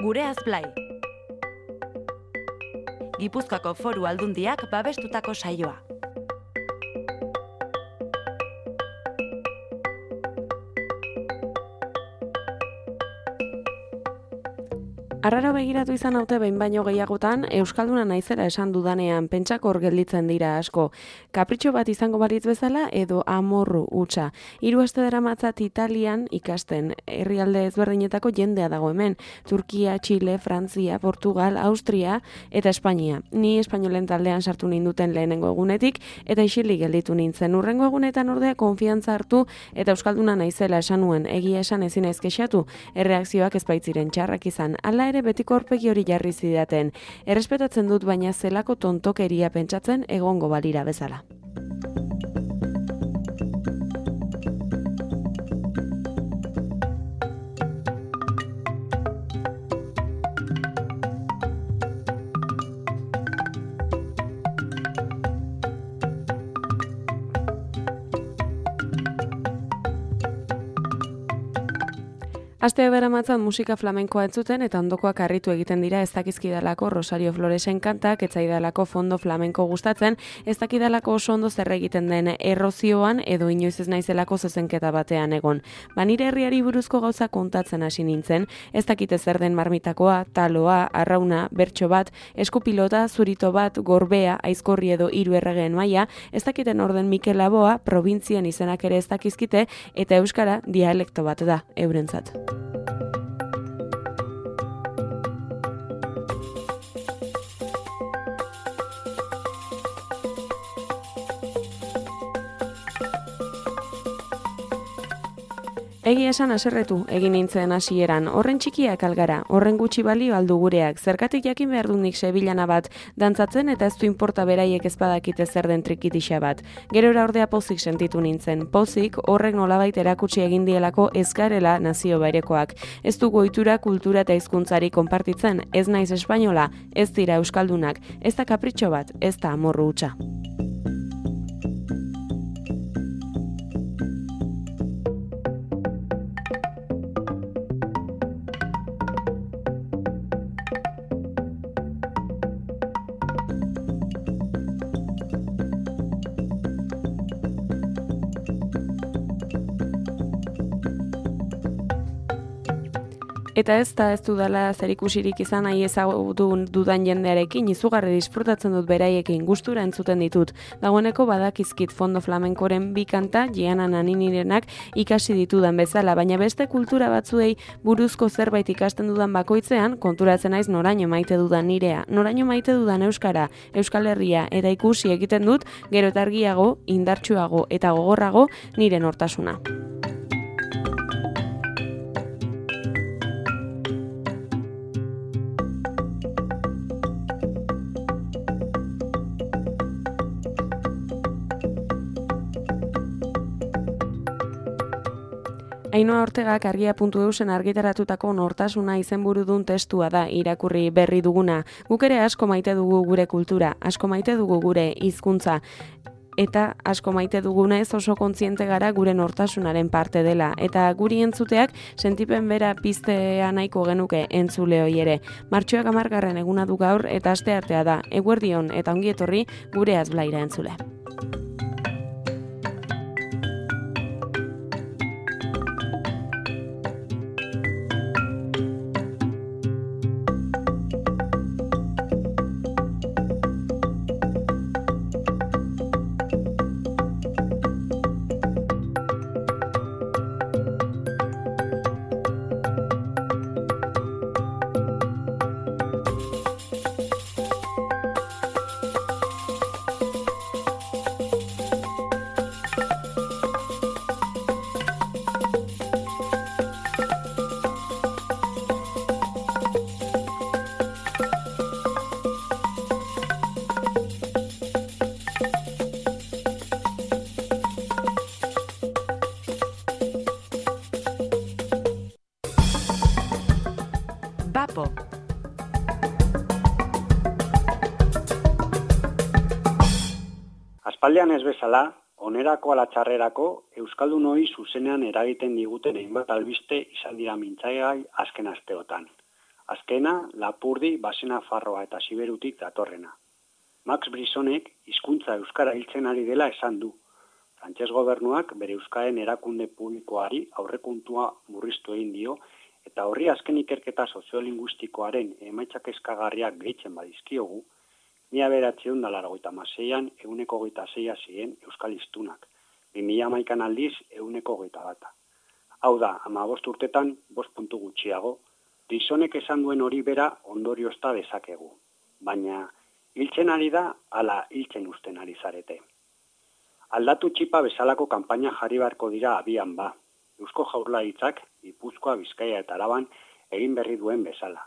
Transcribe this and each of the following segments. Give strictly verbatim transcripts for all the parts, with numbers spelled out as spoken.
Gureaz Blai. Gipuzkoako Foru Aldundiak babestutako saioa. Arraro begiratu izan haute behin baino gehiagotan, euskalduna naizela esan dudanean pentsakor gelditzen dira asko. Kapritxo bat izango balitz bezala edo amorru hutsa. Hiru aste daramatzat Italian ikasten, herrialde ezberdinetako jendea dago hemen. Turkia, Txile, Frantzia, Portugal, Austria eta Espainia. Ni espainolen taldean sartu ninduten lehenengo egunetik eta isilik gelditu nintzen. Urrengo egunetan ordea konfiantza hartu eta euskalduna naizela esan nuen, egia esan ezin naiz kexatu. Erreakzioak ez baitziren txarrak izan. Hala ere betiko aurpegi hori jarri zidaten. Errespetatzen dut baina zelako tontokeria pentsatzen egongo balira bezala. Aste beramatzan musika flamenkoa entzuten eta ondokoak harritu egiten dira ez dakizkidalako Rosario Floresen kantak, ez zaidalako fondo flamenko gustatzen, ez dakidalako oso ondo zer egiten den errozioan edo inoiz ez naizelako zezenketa batean egon. Ba nire herriari buruzko gauza kontatzen hasi nintzen, ez dakite zer den marmitakoa, taloa, arrauna, bertso bat, eskupilota, zurito bat, gorbea, aizkorri edo hiru erregeen maila, ez dakiten orden Mikel Laboa, probintzian izenak ere ez dakizkite eta euskara dialekto bat da eurentzat. Egia esan haserretu egin nintzen hasieran, horren txikiak algara, horren gutxi balio aldu gureak, zergatik jakin behar dut nik sebilana bat, dantzatzen eta ez du inporta beraiek ez badakite zer den trikitixa bat. Gerora ordea pozik sentitu nintzen, pozik horrek nolabait erakutsi egin dielako ez garela nazio bairekoak. Ez dugu ohitura, kultura eta hizkuntzari konpartitzen, ez naiz espainola, ez dira euskaldunak, ez da kapritxo bat, ez da amorru hutsa. Eta ez da ez dudala zerikusirik izan nahi ezagutu dudan jendearekin, izugarri disfrutatzen dut beraiekin, gustura entzuten ditut. Dagoeneko badakizkit fondo flamenkoren bi kanta, Giana Naninirenak ikasi ditudan bezala, baina beste kultura batzuei buruzko zerbait ikasten dudan bakoitzean, konturatzen naiz noraino maite dudan nirea, noraino maite dudan euskara, Euskal Herria, eta ikusi egiten dut, gero eta argiago, indartsuago eta gogorrago nire nortasuna. Ainhoa Ortegak argia puntu eusen argitaratutako nortasuna izenburudun testua da irakurri berri duguna. Guk ere asko maite dugu gure kultura, asko maite dugu gure hizkuntza eta asko maite dugunez oso kontziente gara gure nortasunaren parte dela. Eta guri entzuteak sentipen bera piztea nahiko genuke entzule hoi ere. Martxoak hamargarren eguna du gaur eta asteartea da. Eguerdion eta ongi etorri Gureaz Blaira entzule. Bapo. Aspaldian ez bezala, onerako ala txarrerako, euskaldunoi zuzenean eragiten diguten hainbat albiste izan dira mintzaigai azken asteotan. Azkena, Lapurdi, Basenafarroa eta Siberutik datorrena. Max Brisonek hizkuntza euskara hiltzen ari dela esan du. Frantses gobernuak bere euskaren erakunde publikoari aurrekontua murriztu egin dio, eta horri azken ikerketa soziolinguistikoaren emaitzak eskagarriak gehitzen badizkiogu, mila bederatziehun eta laurogeita hamaseian ehuneko hogeita seia ziren euskal hiztunak, bi mila hamaikan aldiz ehuneko hogeita bata. Hau da, hamabost urtetan bost puntu gutxiago, Brisonek esan duen hori bera ondoriozta dezakegu, baina hiltzen ari da, ala hiltzen usten ari zarete. Aldatu txipa bezalako kanpaina jarri beharko dira abian ba. Eusko Jaurlaritzak, Gipuzkoa, Bizkaia eta Araban egin berri duen bezala.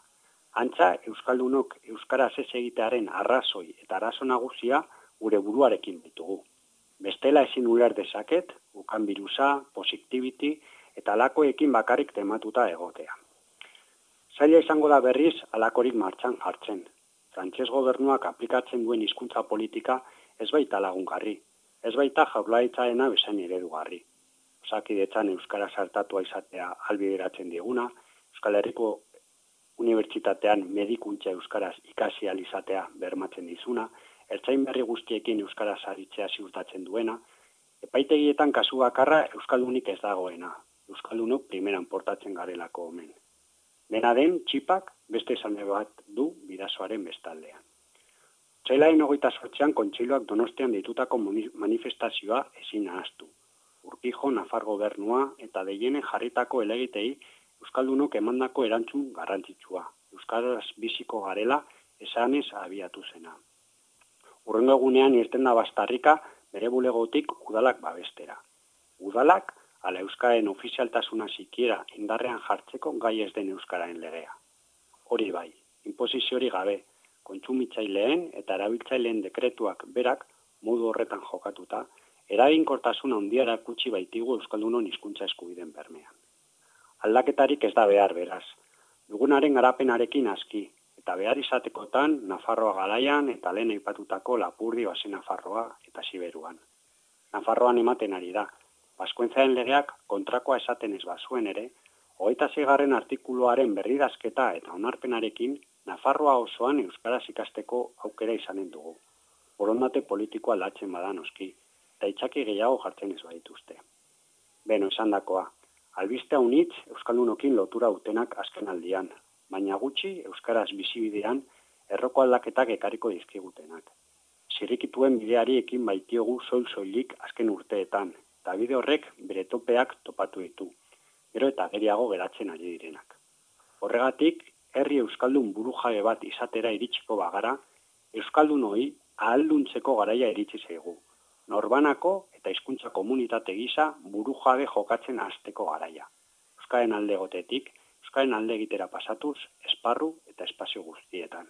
Antza, euskaldunok euskaraz ez egitearen arrazoi eta arazo nagusia gure buruarekin ditugu. Bestela ezin uler dezaket, ukan birusa, positivity eta alakoekin bakarrik tematuta egotea. Zaila izango da berriz alakorik martxan jartzen. Frantses gobernuak aplikatzen duen hizkuntza politika ez baita lagungarri, ez baita Jaurlaritzarena bezain eredugarri. Osakidetzan euskara sartatua izatea ahalbideratzen diguna, Euskal Herriko Unibertsitatean medikuntza euskaraz ikasi ahal izatea bermatzen dizuna, ertzain berri guztiekin euskaraz aritzea ziurtatzen duena, epaitegietan kasu bakarra euskaldunik ez dagoena, euskaldunok primeran portatzen garelako omen. Dena den, txipak beste esan bat du bidasoaren bestaldean. Otsailaren hogeita zortzian kontseiluak Donostian deitutako manifestazioa ezin ahaztu. Urkijo, Nafar gobernua eta Deienen jarritako helegitei euskaldunok emandako erantzun garrantzitsua. Euskaraz biziko garela esanez abiatu zena. Hurrengo egunean irten da Bastarrika bere bulegotik udalak babestera. Udalak ala euskaren ofizialtasuna sikiera indarrean jartzeko gai ez den euskararen legea. Hori bai, inposiziori gabe, kontsumitzaileen eta erabiltzaileen dekretuak berak modu horretan jokatuta, eraginkortasun handia erakutsi baitigu euskaldunon hizkuntza eskubideen bermean. Aldaketarik ez da behar beraz. Dugunaren garapenarekin aski, eta behar izatekotan Nafarroa garaian eta lehen aipatutako Lapurdi, Basenafarroa eta Siberuan. Nafarroan ematen ari da. Baskuentzaren legeak kontrakoa esaten ez bazuen ere, hogeita seigarren artikuluaren berridazketa eta onarpenarekin Nafarroa osoan euskaraz ikasteko aukera izanen dugu. Borondate politikoa aldatzen bada noski, eta itxaki gehiago jartzen ez badituzte. Beno, esandakoa, albiste unitz euskaldunokin lotura utenak azken aldian, baina gutxi euskaraz bizibidean erroko aldaketak ekarriko dizkigutenak. Zirrikituen bideari ekin baitiogu soil-soilik azken urteetan, eta bide horrek bere topeak topatu ditu, gero eta geriago geratzen ari direnak. Horregatik, herri euskaldun burujabe bat izatera iritsiko bagara, euskaldunoi ahalduntzeko garaia iritsi zaigu. Norbanako eta hizkuntza komunitate gisa burujabe jokatzen hasteko garaia. Euskaren alde gotetik, euskaren alde egitera pasatuz, esparru eta espazio guztietan.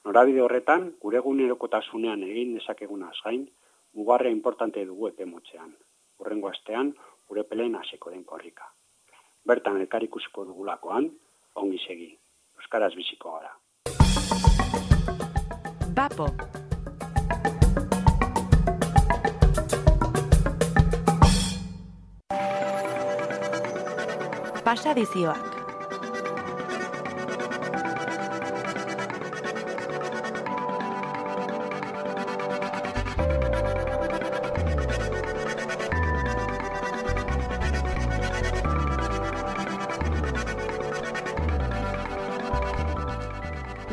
Norabide horretan, gure egunerokotasunean egin dezakegunaz gain, mugarria importante dugu epe motzean. Hurrengo astean, gure peleen hasiko den korrika. Bertan elkar ikusiko dugulakoan, ongi segi. Euskaraz biziko gara. Bapo. Pasadizioak.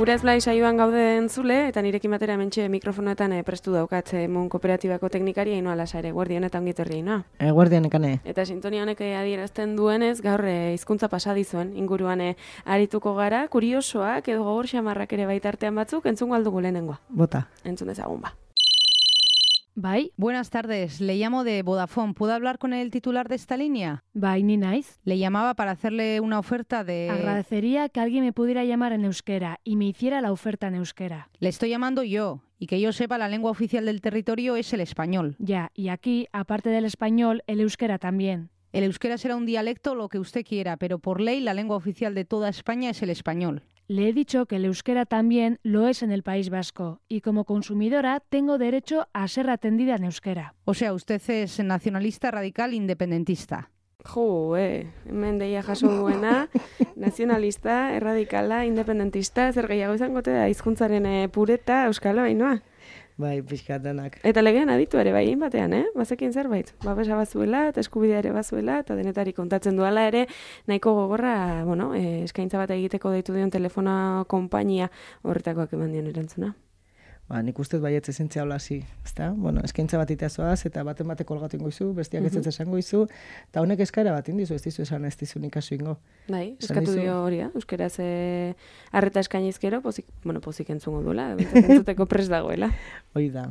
Gure ezblai saioan gaude entzule, eta nirekin batera hementxe mikrofonoetan eh, prestu daukat eh, Mon Kooperatibako teknikaria Ainoa Lasa ere. Guardion eta ongi etorri, Ainoa. E, guardian ekane. Eta sintonia honek eh, adierazten duenez, gaur eh, hizkuntza pasadizuen inguruan eh, arituko gara, kuriosoak edo gogor xamarrak ere baitartean batzuk, entzungo aldugu lehenengoa. Bota. Entzun dezagun ba. Bai, buenas tardes. Le llamo de Vodafone. ¿Puedo hablar con el titular de esta línea? Bai, ni naiz. Le llamaba para hacerle una oferta de... Agradecería que alguien me pudiera llamar en euskera y me hiciera la oferta en euskera. Le estoy llamando yo. Y que yo sepa, la lengua oficial del territorio es el español. Ya, y aquí, aparte del español, el euskera también. El euskera será un dialecto, lo que usted quiera, pero por ley la lengua oficial de toda España es el español. Le he dicho que el euskera también lo es en el País Vasco y como consumidora tengo derecho a ser atendida en euskera. O sea, usted es nacionalista, radical, independentista. Jo, eh, hemen deia jaso duena, nazionalista, erradikala, independentista, zer gehiago izango te da, hizkuntzaren eh, pureta, euskalo, hainoa. Bai, pixkatanak. Eta legean aditu ere, bai, batean, eh? Bazekin zerbait. Babesa bazuela, eta eskubidea ere bazuela, eta denetari kontatzen duela ere, nahiko gogorra, bueno, eh, eskaintza bat egiteko deitu dion telefono konpainia horretakoak eman dion erantzuna. Ba, nik ustez baietz esentzia hola hasi, ezta? Bueno, eskaintza bat iteazoaz, eta baten batek kolgatu ingo izu, bestiak ez ez esango izu, eta honek eskaera bat indizu, ez dizu esan ez dizu nik asu ingo. Bai, eskatu dio hori da, euskaraz eh, arreta eskainizkero, pozik, bueno, pozik entzungo duela, entzuteko pres dagoela. Hoi da,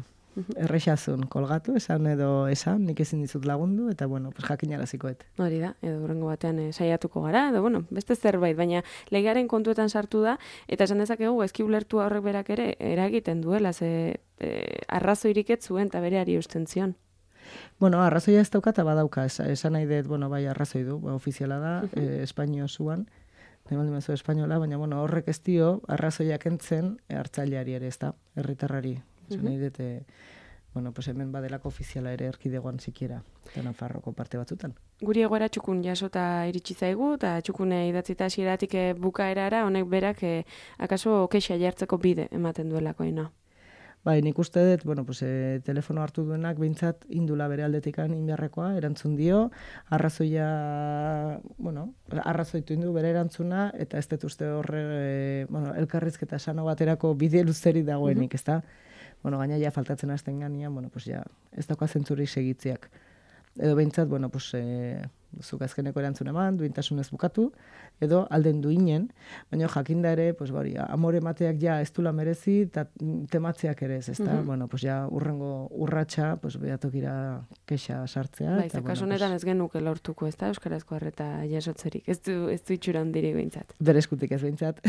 errexazun kolgatu, esan edo esan, nik ezin dizut lagundu, eta bueno, pues jakinarazikoet. Hori da, edo horrengo batean eh, saiatuko gara, edo bueno, beste zerbait, baina legearen kontuetan sartu da, eta esan dezakegu ezki ulertu horrek berak ere eragiten duela, ze eh, arrazoirik ez zuen eta bereari eusten zion. Bueno, arrazoia ez dauka eta badauka, es, esan nahi dut, bueno, bai arrazoi du, ba, ofiziala da, uh -huh. eh, Espainio zuan, negoen dimazu espainola, baina bueno, horrek ez dio arrazoiak entzen hartzaileari ere, ez da, herritarrari. Esan nahi dut, eh, bueno, pues hemen badelako ofiziala ere erkidegoan sikiera, eta Nafarroko parte batzutan. Guri egoera txukun jasota iritsi zaigu, eta txukune idatzita hasieratik eh, bukaerara, honek berak eh, akaso kexa jartzeko bide ematen duelako ina. Bai, nik uste dut, bueno, pues, e, telefono hartu duenak behintzat indula bere aldetikan inbeharrekoa, erantzun dio, arrazoia, bueno, arrazoitu indu bere erantzuna, eta ez dut uste horre, e, bueno, elkarrizketa sano baterako bide luzeri dagoenik, ez da? Bueno, gaina ja faltatzen hasten ganean, bueno, pues ja, ez dauka zentzurik segitziak. Edo behintzat, bueno, pues, e, zuk azkeneko erantzun eman, duintasunez bukatu, edo alden duinen, baina jakinda ere, pues, bari, amore emateak ja ez dula merezi, eta tematzeak ere ez, ezta? Uh -huh. Bueno, pues, ja, urrengo urratxa, pues, behatokira kexa sartzea. Bai, eta kasu honetan ez genuke lortuko, ezta? Euskarazko arreta jasotzerik, ez du, ez du itxura handirik behintzat. Berezkutik ez behintzat.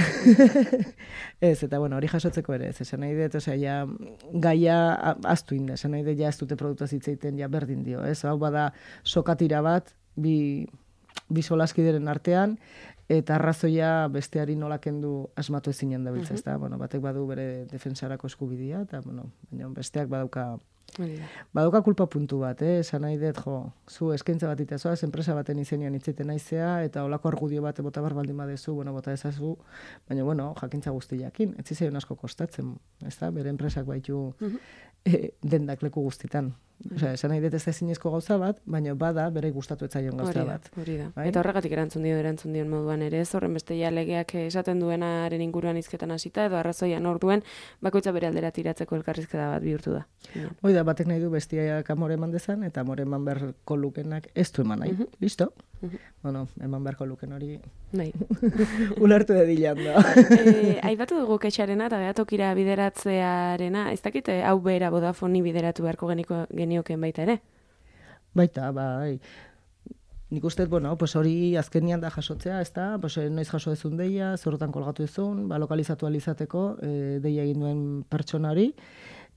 Ez, eta, bueno, hori jasotzeko ere, ez, esan nahi dut, osea, ja, gaia aztu inde, esan nahi dut, ja, ez dute produktua zitzeiten, ja, berdin dio, ez? Hau bada, sokatira bat, bi, bi solaskideren artean, eta arrazoia besteari nola kendu asmatu ezinen dabiltza, ezta? Bueno, batek badu bere defensarako eskubidea, eta bueno, baina besteak badauka badauka kulpa puntu bat, eh? Esan nahi dut, jo, zu eskaintza bat itezoaz, enpresa baten izenean itzeten naizea, eta olako argudio bat bota bar baldin badezu, bueno, bota ezazu, baina bueno, jakintza guztiakin, ez zizaion asko kostatzen, ezta? Bere enpresak baitu e, dendak leku guztitan. Osea, esan nahi dut ez da zinezko gauza bat, baina bada bere gustatu etzaion gauza bat. Hori da, bai? Eta horregatik erantzun dio, erantzun dion moduan ere, ez horren beste ja legeak esaten duenaren inguruan hizketan hasita edo arrazoian hor duen, bakoitza bere aldera tiratzeko elkarrizketa bat bihurtu da. Hoi da, batek nahi du bestiak amore eman dezan, eta amore eman beharko lukenak ez du eman nahi. Uh -huh. Listo? Uh -huh. Bueno, eman beharko luken hori... Nahi. Ulertu edilan da. e, aipatu dugu kexarena eta behatokira bideratzearena, ez dakite hau bera Vodafoni bideratu beharko geniko, genioken baita ere? Baita, bai. Nik uste, bueno, pues hori azkenian da jasotzea, ez da, pues, noiz jaso ezun deia, zorotan kolgatu ezun, ba, lokalizatu alizateko, e, deia egin duen pertsona hori,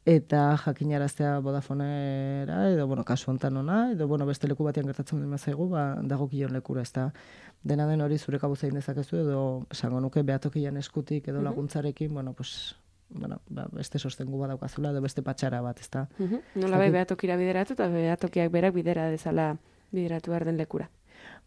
eta jakinaraztea Vodafonera, edo, bueno, kasu hontan ona, edo, bueno, beste leku batean gertatzen dut mazaigu, ba, dagokien lekura, ez da. Dena den hori zure kabuz egin dezakezu, edo, esango nuke, behatokian eskutik, edo laguntzarekin, bueno, pues, bueno, ba, beste sostengu badaukazula, edo beste patxara bat, ez da. Uh -huh. Nola bai behatokira bideratu, eta behatokiak berak bidera dezala bideratu behar den lekura.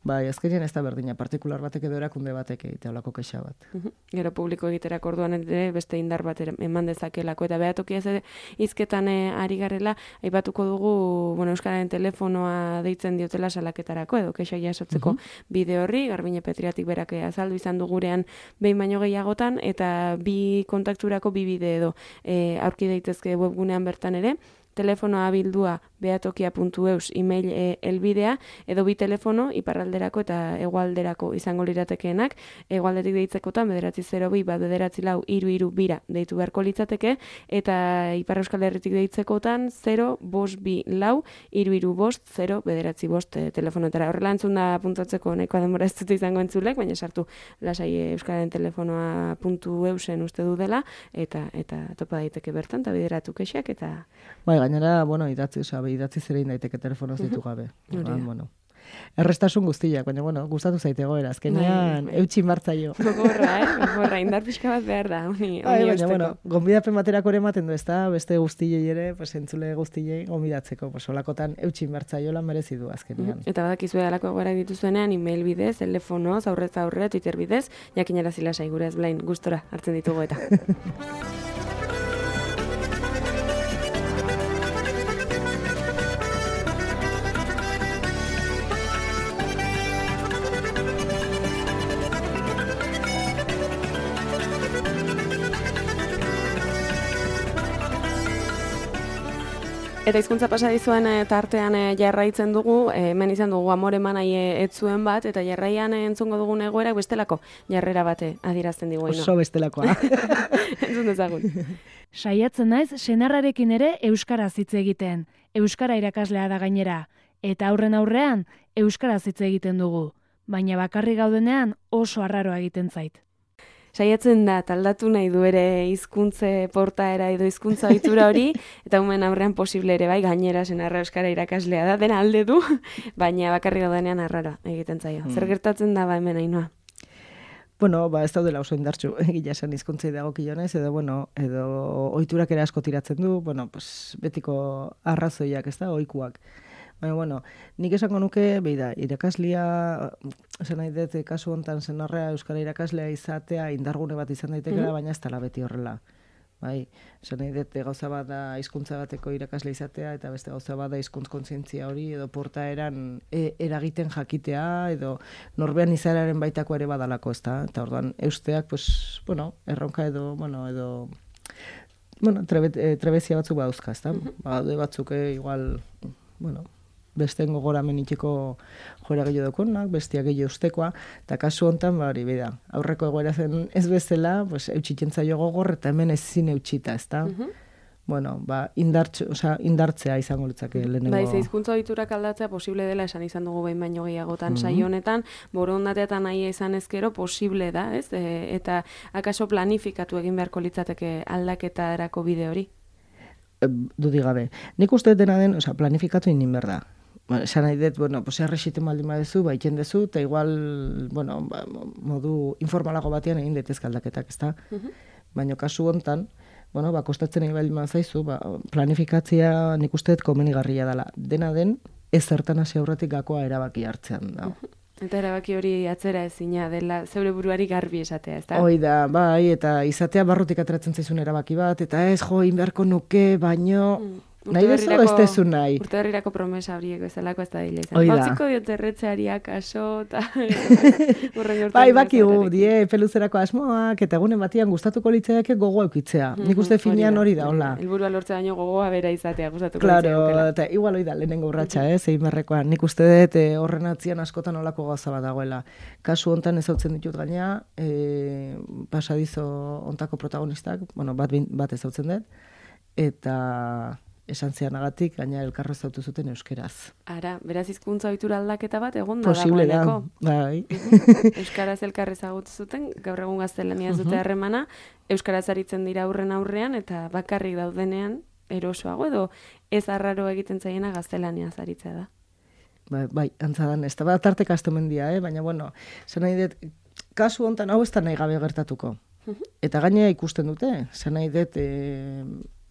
Bai, azkenean ez da berdina, partikular batek edo erakunde batek egitea olako kexa bat. Uh-huh. Gero publiko egiterak orduan ere beste indar bat eman dezakelako, eta behatokia ez hizketan ari garela, aipatuko dugu, bueno, Euskararen telefonoa deitzen diotela salaketarako, edo kexa jasotzeko uh-huh. bide horri, Garbine Petriatik berak azaldu izan du gurean behin baino gehiagotan, eta bi kontakturako bi bide edo e, aurki daitezke webgunean bertan ere, telefonoa bildua behatokia puntu eus email e, elbidea, edo bi telefono iparralderako eta hegoalderako izango liratekeenak, hegoaldetik deitzekotan bederatzi zero bi bat bederatzi lau hiru hiru bira deitu beharko litzateke, eta Ipar Euskal Herritik deitzekotan zero bost bi lau hiru hiru bost zero bederatzi bost e, telefonetara. Horrela entzun da puntatzeko nahikoa denbora ez dut izango entzulek, baina sartu lasai Euskararen telefonoa puntu eusen uste du dela, eta eta topa daiteke bertan, eta bideratu kexak, eta... Bai, gainera, bueno, idatzi, oza, idatzi zerein daiteke telefonoz ditu gabe. Uh-huh. Bueno. errestasun guztiak, baina, bueno, gustatu zaite goera, azkenean, Bai, bai. eutxin martzaio. Gogorra, eh? Gogorra, indar pixka bat behar da, honi, Bai, honi baina, eusteko. bueno, gonbidapen baterako ere ematen du, ez da, beste guztiei ere, pues, entzule guztiei gonbidatzeko, pues, olakotan eutxin martzaiola merezi du azkenean. Eta badakizue alako egoerak dituzuenean, email bidez, telefonoz, aurrez aurre, Twitter bidez, jakinara zila saigura ez blain, gustora hartzen ditugu eta. Eta hizkuntza pasa dizuen e, tartean e, jarraitzen dugu, e, hemen izan dugu amore manai e, etzuen bat, eta jarraian e, entzungo dugun egoera bestelako jarrera bate adierazten digu. Oso bestelakoa. Entzun dezagun. Saiatzen naiz senarrarekin ere euskaraz hitz egiten. Euskara irakaslea da gainera. Eta aurren aurrean euskaraz hitz egiten dugu. Baina bakarrik gaudenean oso arraroa egiten zait. Saiatzen da, taldatu nahi du ere hizkuntze portaera edo hizkuntza ohitura hori, eta umen aurrean posible ere bai, gainera senarra euskara irakaslea da, dena alde du, baina bakarrik gaudenean arraroa egiten zaio. Mm. Zer gertatzen da ba hemen Ainhoa? Bueno, ba, ez daudela oso indartsu, egia esan hizkuntzei dagokionez, edo, bueno, edo ohiturak ere asko tiratzen du, bueno, pues, betiko arrazoiak, ez da, ohikuak. Baina, bueno, nik esango nuke, beida, irakaslia, esan nahi dut, kasu hontan senarra euskara irakaslea izatea indargune bat izan daitekela, mm-hmm. baina ez dela beti horrela. Bai, esan nahi dut, gauza bat da hizkuntza bateko irakasle izatea, eta beste gauza bat da hizkuntz kontzientzia hori, edo portaeran e, eragiten jakitea, edo norbean izararen baitako ere badalako, ez da? Eta orduan, eusteak, pues, bueno, erronka edo, bueno, edo... Bueno, trebe, e, trebezia batzuk badauzka, ez da? Mm-hmm. Ba, batzuk, e, igual, bueno... besteen gogoramen itxeko joera gehiago daukonak, bestia gehiago ustekoa, eta kasu hontan, bari, bida, aurreko egoera zen ez bezala, pues, eutxitzen zaio gogor, eta hemen ezin eutxita, ez da? Mm-hmm. Bueno, ba, indartz, oza, indartzea izango litzake lehenengo. Bai, ze hizkuntza ohiturak aldatzea posible dela esan izan dugu behin baino gehiagotan mm-hmm. saio honetan, borondatea eta nahia izan ezkero posible da, ez? E, eta akaso planifikatu egin beharko litzateke aldaketarako bide hori? E, dudik gabe. Nik uste dena den, oza, planifikatu inin behar da. Ba, esan nahi dut, bueno, pues errexiten baldin badezu, ba, itxen dezu, eta igual, bueno, ba, modu informalago batean egin detezke aldaketak, ezta? Uh-huh. Baina kasu hontan, bueno, ba, kostatzen egin baldin badazaizu, ba, planifikatzea nik uste dut komenigarria dela. Dena den, ez zertan hasi aurretik gakoa erabaki hartzean da. Uh-huh. Eta erabaki hori atzera ezina dela, zeure buruari garbi esatea, ezta? Hoi da, bai, eta izatea barrutik ateratzen zaizun erabaki bat, eta ez jo, inbeharko nuke, baino... Mm. Nahi bezu ez tezu nahi. Urte berrirako promesa horiek bezalako ez da dile izan. Oida. Batziko diote erretzeariak aso, eta bai, bakigu, die, peluzerako asmoak, eta egunen batian gustatuko litzeak gogoa eukitzea. Mm-hmm. Nik uste finean hori da, hola. Helburua lortzea baino gogoa bera izatea gustatuko claro, litzeak. Claro, eta igual hori da, lehenengo urratxa, eh, zein berrekoan. Nik uste dut eh, horren atzian askotan olako gauza bat dagoela. Kasu hontan ezautzen ditut gaina, eh, pasadizo hontako protagonistak, bueno, bat, bat ezautzen dut, eta... esan zeanagatik, gaina elkarro zautu zuten euskeraz. Ara, beraz hizkuntza ohitura aldaketa bat egon da posible dagoeneko. Da, bai. Euskaraz elkar ezagutu zuten, gaur egun gaztelaniaz dute harremana, euskaraz aritzen dira aurren aurrean, eta bakarrik daudenean, erosoago edo ez arraro egiten zaiena gaztelaniaz aritzea da. Bai, bai, antzadan, ez da bat tartek astomendia, eh? Baina, bueno, zen nahi dut, kasu hontan hau ez da nahi gabe gertatuko. Eta gainea ikusten dute, zen nahi dut, e,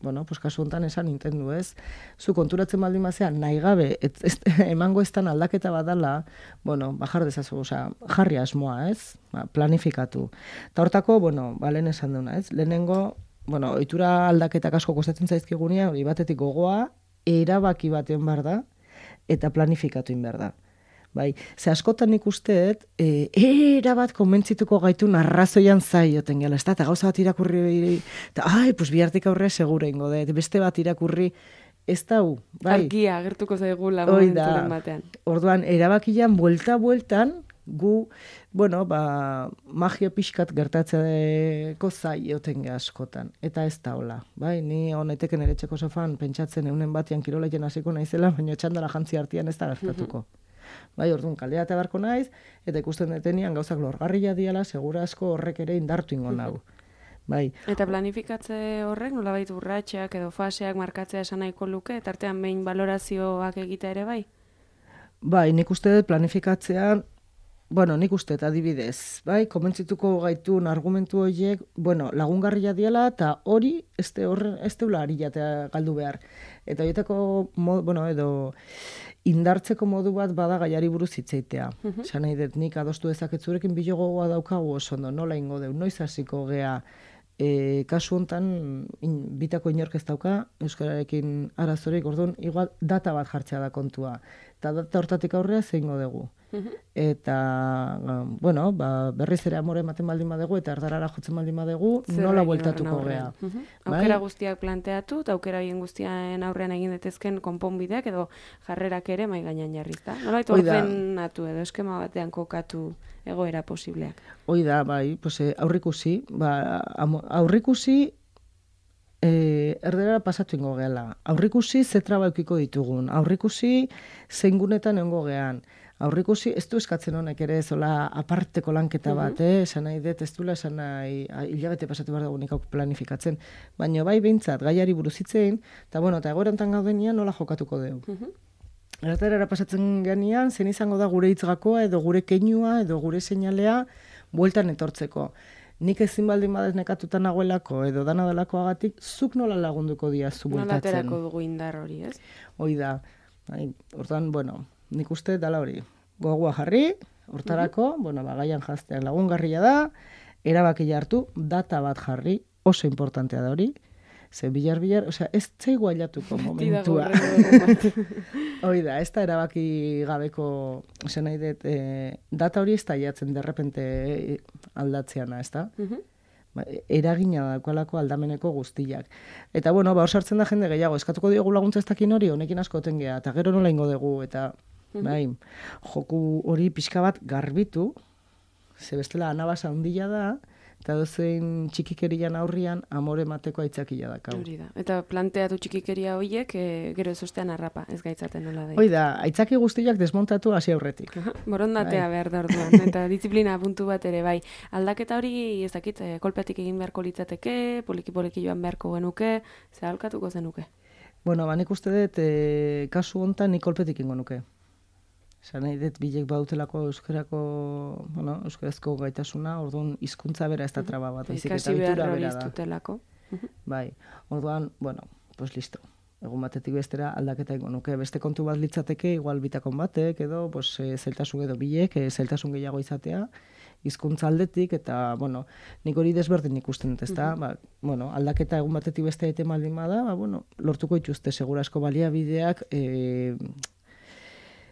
bueno, pues kasu hontan esan Nintendo, ez? Zu konturatzen baldin bazean nahi gabe ez, ez, emango eztan aldaketa badala, bueno, bajar dezazu, osea, jarri asmoa, ez? Ba, planifikatu. Ta hortako, bueno, ba lehen esan duna, ez? Lehenengo, bueno, ohitura aldaketak asko kostatzen zaizkigunia, hori batetik gogoa, erabaki baten behar da eta planifikatu in behar da. Bai, ze askotan ikusteet, e, era bat konbentzituko gaitu narrazoian zaioten gela, ez da, eta gauza bat irakurri, eta, ai, pues bihartik aurre segura ingo dut, beste bat irakurri, ez dau, bai. Argia, agertuko zaigula momenturen batean. Orduan, erabakian, buelta-bueltan, gu, bueno, ba, magia pixkat gertatzeko zaioten ge askotan, eta ez da hola, bai, ni honeteken ere txeko sofan pentsatzen eunen batian kirolaiten hasiko naizela, baina txandala jantzi artean ez da gertatuko. Bai, orduan kaldea eta beharko naiz, eta ikusten detenian gauzak lorgarria diala, segura asko horrek ere indartu ingo nau. Bai. Eta planifikatze horrek, nolabait urratxeak edo faseak markatzea esan nahiko luke, eta artean behin balorazioak egitea ere bai? Bai, nik uste dut planifikatzean, bueno, nik uste adibidez, bai, komentzituko gaitun argumentu horiek, bueno, lagungarria diela, eta hori, ez deula ari jatea galdu behar. Eta horietako, bueno, edo, indartzeko modu bat bada gaiari buruz hitzeitea. Esan nahi dut, nik adostu dezaketzurekin bilo gogoa daukagu oso ondo, nola ingo deu, noiz hasiko gea, e, kasu hontan bitako inork ez dauka, euskararekin arazorik, orduan, igual data bat jartzea da kontua. Eta data hortatik aurrea zeingo dugu. Eta, bueno, ba, berriz ere amore ematen baldin badegu, eta erdarara jotzen baldin badegu, nola bueltatuko gea. Aukera guztiak planteatu, eta aukera bien guztian aurrean egin detezken konponbideak, edo jarrerak ere mai gainean jarriz da. Nola baitu ordenatu edo eskema batean kokatu egoera posibleak. Hoi da, bai, pues, aurrikusi, ba, aurrikusi, E, erderara pasatu ingo gehala. Aurrikusi zetra baukiko ditugun. Aurrikusi zeingunetan egongo gehan. Aurrikusi ez du eskatzen honek ere zola aparteko lanketa bat, eh? Esan nahi dut, ez duela esan nahi hilabete pasatu behar dugu nik planifikatzen. Baina bai behintzat, gaiari buruzitzein, eta bueno, eta egoerantan gaudenian nola jokatuko dugu. Erderara pasatzen genean, zen izango da gure hitzgakoa, edo gure keinua, edo gure seinalea, bueltan etortzeko. Nik ezin baldin badez nekatuta nagoelako edo dana delakoagatik, zuk nola lagunduko diazu bultatzen. Nola aterako dugu indar hori, ez? Hoi da. Hortan, bueno, nik uste dala hori. Gogoa jarri, hortarako, uh-huh. bueno, bagaian jaztean lagungarria da, erabaki hartu, data bat jarri, oso importantea da hori, ze bilar-bilar, osea, ez zaigu ailatuko momentua. Hoi da, ez da erabaki gabeko, esan nahi dut, e, data hori ez da aiatzen derrepente aldatzeana, ez da? Uh-huh. Ba, eragina daukalako aldameneko guztiak. Eta, bueno, ba, osartzen da jende gehiago, eskatuko diogu laguntza ez dakin hori, honekin asko otengea, eta gero nola ingo dugu, eta, uh-huh. bai, joku hori pixka bat garbitu, ze bestela anabasa hundila da, eta dozein txikikerian aurrian amore mateko aitzakia da. Hori da. Eta planteatu txikikeria horiek e, gero ez ostean harrapa, ez gaitzaten nola da. Hoi da, aitzaki guztiak desmontatu hasi aurretik. Borondatea bai. Behar da orduan, eta disiplina puntu bat ere, bai. Aldaketa hori, ez dakit, kolpetik egin beharko litzateke, poliki-poliki joan beharko genuke, ze halkatuko zenuke? Bueno, ba, nik uste dut, e, kasu hontan nik kolpetik ingo nuke. Esan nahi dut bilek bautelako euskarako, bueno, euskarazko gaitasuna, orduan hizkuntza bera ez da traba bat. Ikasi behar hori iztutelako. Bai, orduan, bueno, pues listo. Egun batetik bestera aldaketa ingo nuke. Beste kontu bat litzateke, igual bitakon batek, edo, pues, e, zeltasun edo bilek, e, zeltasun gehiago izatea, hizkuntza aldetik, eta, bueno, nik hori desberdin ikusten dut, ez da, ba, bueno, aldaketa egun batetik beste ete maldin bada, ba, bueno, lortuko ituzte, segurasko baliabideak, e,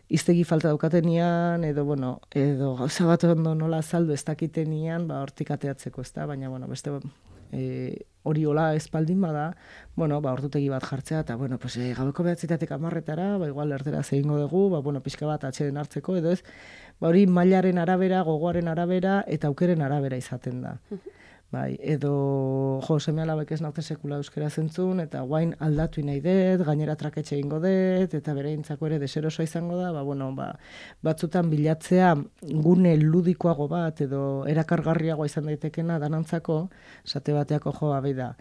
iztegi falta daukatenian, edo, bueno, edo gauza bat ondo nola azaldu ez dakitenian, ba, hortik ateatzeko, ez da, baina, bueno, beste e, hori hola espaldin bada, bueno, ba, ordutegi bat jartzea, eta, bueno, pues, e, gabeko behatzitatek amarretara, ba, igual erdera zehingo dugu, ba, bueno, pixka bat atxeden hartzeko, edo ez, ba, hori mailaren arabera, gogoaren arabera, eta aukeren arabera izaten da. Bai, edo, jo, seme-alabek ez naute sekula euskera zentzun, eta guain aldatu nahi dut, gainera traketxe ingo dut, eta bere intzako ere deserosoa izango da, ba, bueno, ba, batzutan bilatzea gune ludikoago bat, edo erakargarriagoa izan daitekena danantzako, esate bateako jo, abai da,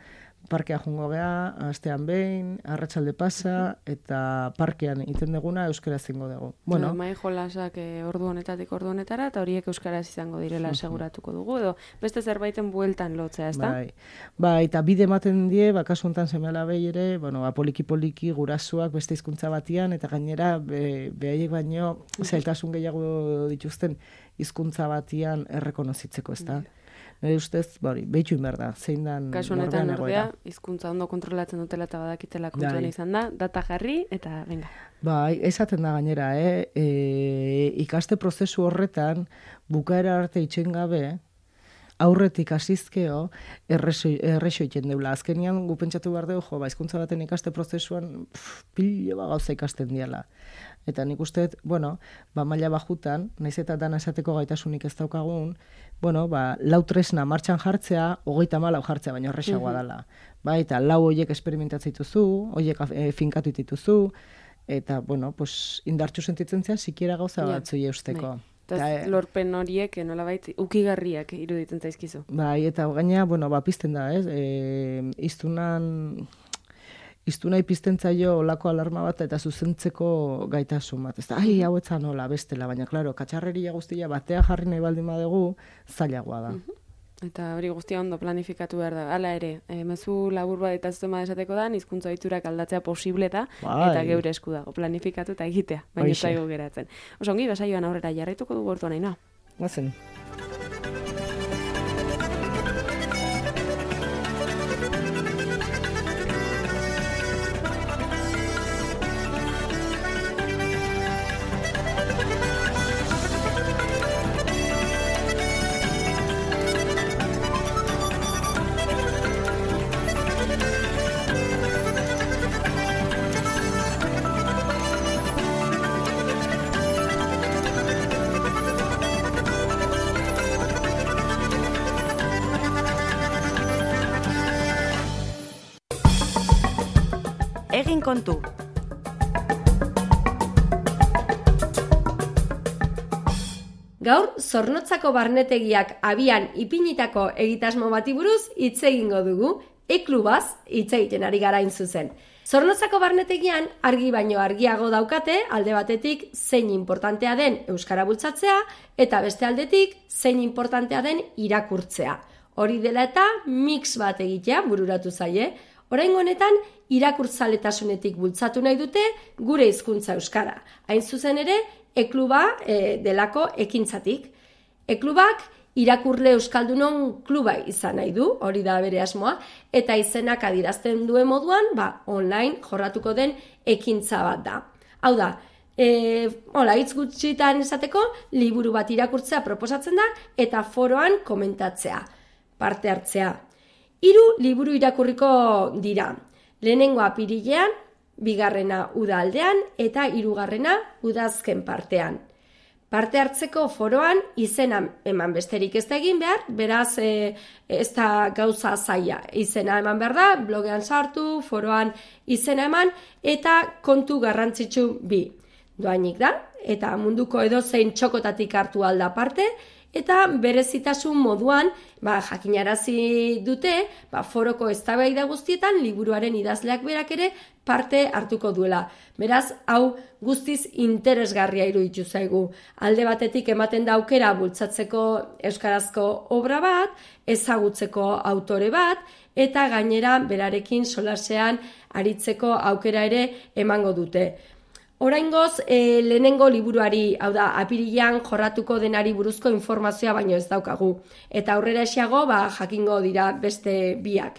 parkea jungo geha, astean behin, arratsalde pasa, eta parkean iten deguna euskaraz zingo dugu. Bueno, mai jolasak ordu honetatik ordu honetara, eta horiek euskaraz izango direla seguratuko dugu, edo beste zerbaiten bueltan lotzea, ezta? Bai, bai, eta bide ematen die, bakasuntan seme-alabei ere, bueno, ba, poliki-poliki gurasuak beste hizkuntza batian, eta gainera, be, behaiek baino, zailtasun gehiago dituzten hizkuntza batian errekonozitzeko, ezta? Nire ustez, bari, behitu inber da, zein dan kasu honetan ordea, hizkuntza ondo kontrolatzen dutela eta badakitela kontuan izan da, data jarri, eta venga. Bai, esaten da gainera, eh? E, ikaste prozesu horretan, bukaera arte itxen gabe, aurretik asizkeo, errexo iten deula. Azkenian, gu pentsatu behar dugu, jo, ba, hizkuntza baten ikaste prozesuan, pilo ba gauza ikasten diala. Eta nik uste, bueno, ba, maila bajutan, naiz eta dana esateko gaitasunik ez daukagun, bueno, ba, lau tresna martxan jartzea, hogeita malau jartzea, baina horrexagoa dela. Ba, eta lau horiek esperimentatzen dituzu, horiek e, finkatu dituzu, eta, bueno, pues, indartxu sentitzen zea, sikiera gauza yeah. batzui eusteko. Eta lorpen horiek, nolabait, ukigarriak iruditzen zaizkizu. Bai, eta gaina, bueno, ba, pizten da, ez? E, iztunan iztu nahi piztentzaio olako alarma bat eta zuzentzeko gaitasun bat. Ez da, ai, hau etzan nola, bestela, baina, klaro, katxarreria guztia batea jarri nahi baldin badugu, zailagoa da. Eta hori guztia ondo planifikatu behar da. Hala ere, e, mezu labur bat eta zuzema esateko da, hizkuntza ohiturak aldatzea posible eta Bai. eta geure esku dago, planifikatu eta egitea, baina ez zaigu geratzen. Oso ongi, basaioan aurrera jarraituko dugu orduan Ainhoa. Guazen. Egin kontu. Gaur, Zornotzako barnetegiak abian ipinitako egitasmo bati buruz hitz egingo dugu, e-klubaz hitz egiten ari gara hain zuzen. Zornotzako barnetegian argi baino argiago daukate, alde batetik zein importantea den euskara bultzatzea, eta beste aldetik zein importantea den irakurtzea. Hori dela eta mix bat egitea bururatu zaie. Oraingo honetan irakurtzaletasunetik bultzatu nahi dute gure hizkuntza euskara. Hain zuzen ere, e-kluba e, delako ekintzatik. E-klubak irakurle euskaldunon kluba izan nahi du, hori da bere asmoa, eta izenak adierazten duen moduan, ba, online jorratuko den ekintza bat da. Hau da, e, hola, hitz gutxitan esateko, liburu bat irakurtzea proposatzen da, eta foroan komentatzea, parte hartzea. Hiru liburu irakurriko dira. Lehenengoa apirilean, bigarrena uda aldean eta hirugarrena udazken partean. Parte hartzeko foroan izena eman besterik ez da egin behar, beraz e, ez da gauza zaila. Izena eman behar da, blogean sartu, foroan izena eman eta kontu garrantzitsu bi. Doainik da, eta munduko edozein txokotatik hartu alda parte, eta berezitasun moduan ba, jakinarazi dute ba, foroko eztabaida guztietan liburuaren idazleak berak ere parte hartuko duela. Beraz, hau guztiz interesgarria iruditu zaigu. Alde batetik ematen da aukera bultzatzeko euskarazko obra bat, ezagutzeko autore bat, eta gainera berarekin solasean aritzeko aukera ere emango dute. Oraingoz, e, lehenengo liburuari, hau da, apirilean jorratuko denari buruzko informazioa baino ez daukagu. Eta aurrera esiago, ba, jakingo dira beste biak.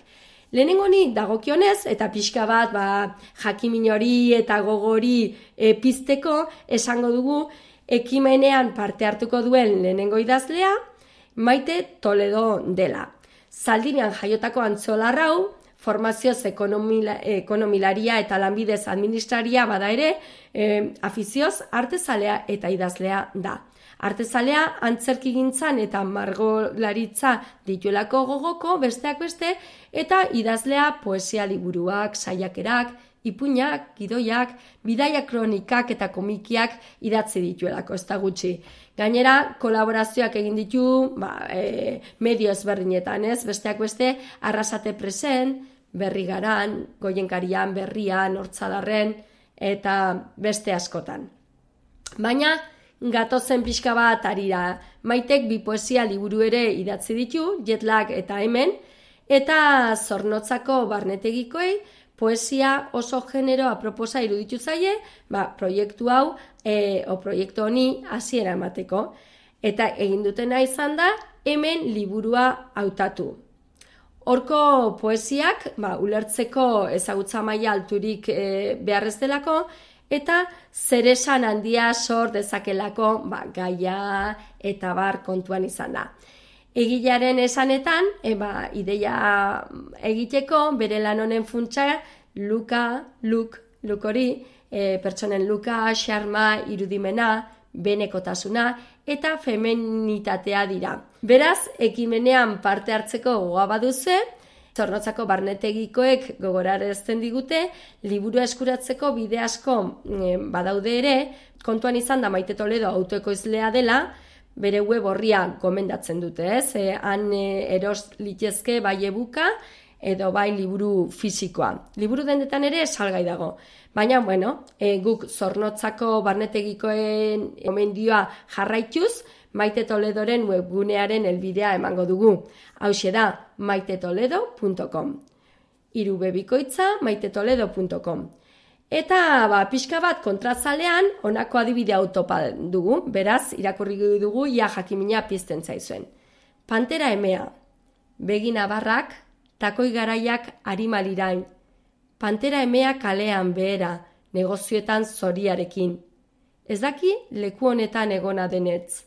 Lehenengo ni dagokionez, eta pixka bat, ba, jakimin hori eta gogori e, pizteko, esango dugu, ekimenean parte hartuko duen lehenengo idazlea, Maite Toledo dela. Zaldinean jaiotako antzolarrau, formazioz ekonomila, ekonomilaria eta lanbidez administraria bada ere, e, afizioz artezalea eta idazlea da. Artezalea antzerkigintzan eta margolaritza dituelako gogoko besteak beste, eta idazlea poesia liburuak, saiakerak, ipuinak, gidoiak, bidaia kronikak eta komikiak idatzi dituelako, ez da gutxi. Gainera, kolaborazioak egin ditu ba, e, medio ezberdinetan, ez? Besteak beste, Arrasate Presen, Berri Garan, Goienkarian, Berrian, Hortzadarren, eta beste askotan. Baina, gatozen pixka bat arira. Maitek bi poesia liburu ere idatzi ditu, Jetlag eta Hemen, eta Zornotzako barnetegikoei poesia oso genero aproposa iruditu zaie, ba, proiektu hau, e, o proiektu honi hasiera emateko. Eta egin dutena izan da, Hemen liburua hautatu. Horko poesiak, ba, ulertzeko ezagutza maila alturik e, beharrez delako, eta zeresan handia sor dezakelako ba, gaia eta bar kontuan izan da. Egilearen esanetan, e, ba, ideia egiteko, bere lan honen funtsa, luka, luk, luk hori, e, pertsonen luka, xarma, irudimena, benekotasuna eta femenitatea dira. Beraz, ekimenean parte hartzeko gogoa baduze, Zornotzako barnetegikoek gogorarazten digute, liburua eskuratzeko bide asko e, badaude ere, kontuan izan da Maite Toledo autoekoizlea dela, bere web orria gomendatzen dute, ez? E, han e, eros litezke bai e-booka, edo bai liburu fisikoa. Liburu dendetan ere salgai dago. Baina, bueno, e, guk Zornotzako barnetegikoen gomendioa jarraituz, Maite Toledoren webgunearen helbidea emango dugu. Hauxe da, maite toledo punto com. Hiru be bikoitza maite toledo punto com. Eta, ba, pixka bat kontrazalean, honako adibide autopa dugu, beraz, irakurri dugu, ia jakimina pizten zaizuen. Pantera emea, begina barrak, takoi garaiak arimalirain. Pantera emea kalean behera, negozioetan zoriarekin. Ez daki leku honetan egona denetz.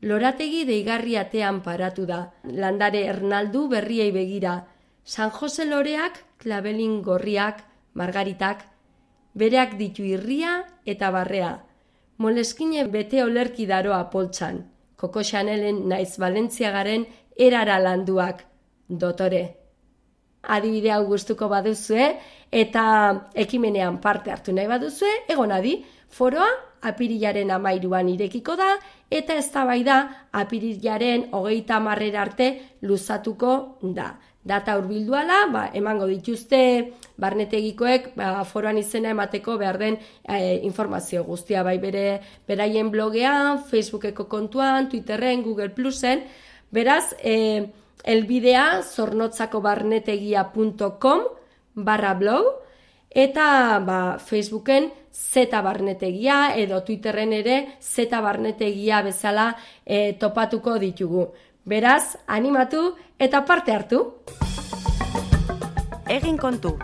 Lorategi deigarri atean paratu da, landare ernaldu berriei begira, San Jose loreak, klabelin gorriak, margaritak, bereak ditu irria eta barrea, moleskine bete olerki daroa poltsan, Koko Chanelen naiz Valentziagaren erara landuak, dotore. Adibide hau gustuko baduzue eta ekimenean parte hartu nahi baduzue, egon adi, foroa apirilaren amairuan irekiko da eta eztabaida apirilaren hogeita hamarrera arte luzatuko da. Data hurbilduala, ba, emango dituzte barnetegikoek ba, foroan izena emateko behar den e, informazio guztia, bai bere beraien blogean, Facebookeko kontuan, Twitterren, Google Plusen, beraz, e, elbidea zornotzakobarnetegia punto com barra blog, eta ba, Facebooken zeta barnetegia edo Twitterren ere zeta barnetegia bezala e, topatuko ditugu. Beraz, animatu eta parte hartu. Egin kontu.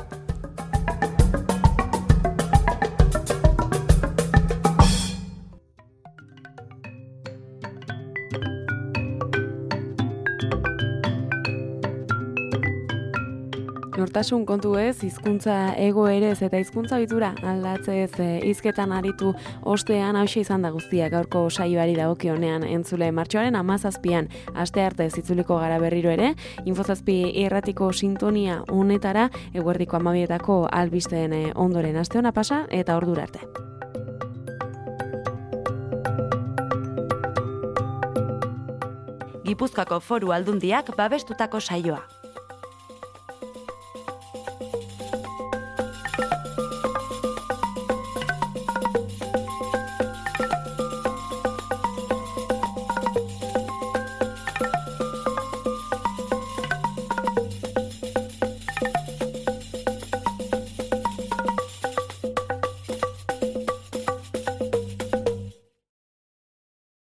Nortasun kontu ez, hizkuntza ego ere ez eta hizkuntza ohitura aldatzez hizketan aritu ostean hauxe izan da guztia gaurko saioari dagokionean entzule martxoaren hamazazpian aste arte zitzuliko gara berriro ere, Infozazpi irratiko sintonia honetara eguerdiko hamabietako albisteen ondoren aste ona pasa eta ordura arte. Gipuzkoako Foru Aldundiak babestutako saioa.